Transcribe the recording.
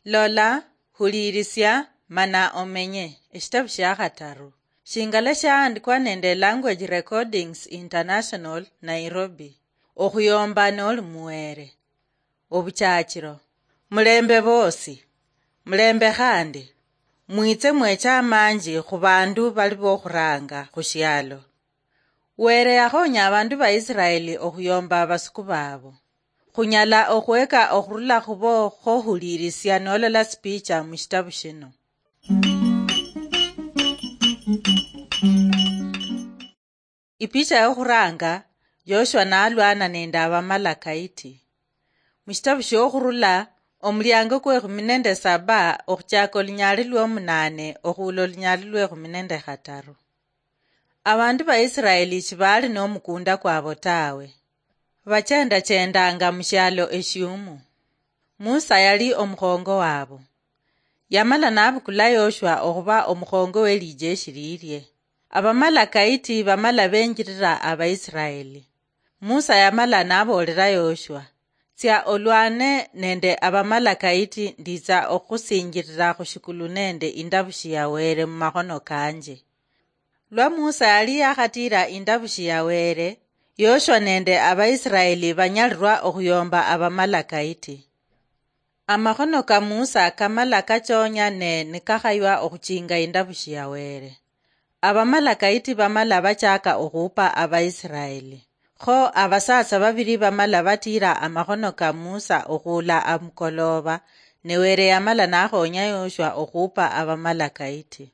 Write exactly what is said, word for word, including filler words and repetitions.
Lola, huliirisia, mana omenye. Eshitabu shia khataru. Shingala shaandikwa nende Language Recordings International, Nairobi. Okhuyomba noli muweere. Obuchachiro. Mulembe boosi. Mulembe khandi. Mwitse mweche amanji khu bandu bali bokhuranga khu shialo. Weere yakhonya abandu ba Isiraeli okhuyomba abasuku baabo. Khunyala okhweka okhurula khubo khohuliirisia nolola sipicha mu shitabu shino. Ipicha yokhuranga, Yoshua nalwana nende Abamalakaiti. Mu shitabu shiokhurula, omuliango kwekhumi nende saba okhuchaka olunyaali lwomunaane okhuula olunyaali lwekhumi nende khataru. Abandu ba Isiraeli shibaali nomukunda kwabo tawe. Bachendachendanga mushialo eshiumu. Musa yali omukhongo wabo. Yamala nabukula Yoshua okhuba omukhongo welijeshi lilie. Abamalakaiti bamala benjirira Abaisiraeli. Musa yamala naboolera Yoshua, "Tsia olwane nende Abamalakaiti, nditsa okhukhusinjirira khushikulu nende indabushi ya Wele mumakhono kanje." Lwa Musa yali yakhatiira indabushi ya Wele, Yoshua nende Abaisiraeli banyalirwa okhuyomba Abamalakaiti. Amakhono ka Musa kamala kachonya ne nikakhaywa okhuchinga indabushi ya Wele. Abamalakaiti bamala bachaka okhupa Abaisiraeli. Kho abasaatsa babili bamala batiira amakhono ka Musa okhuula amukolooba, ne Wele yamala nakhonya Yoshua okhupa Abamalakaiti.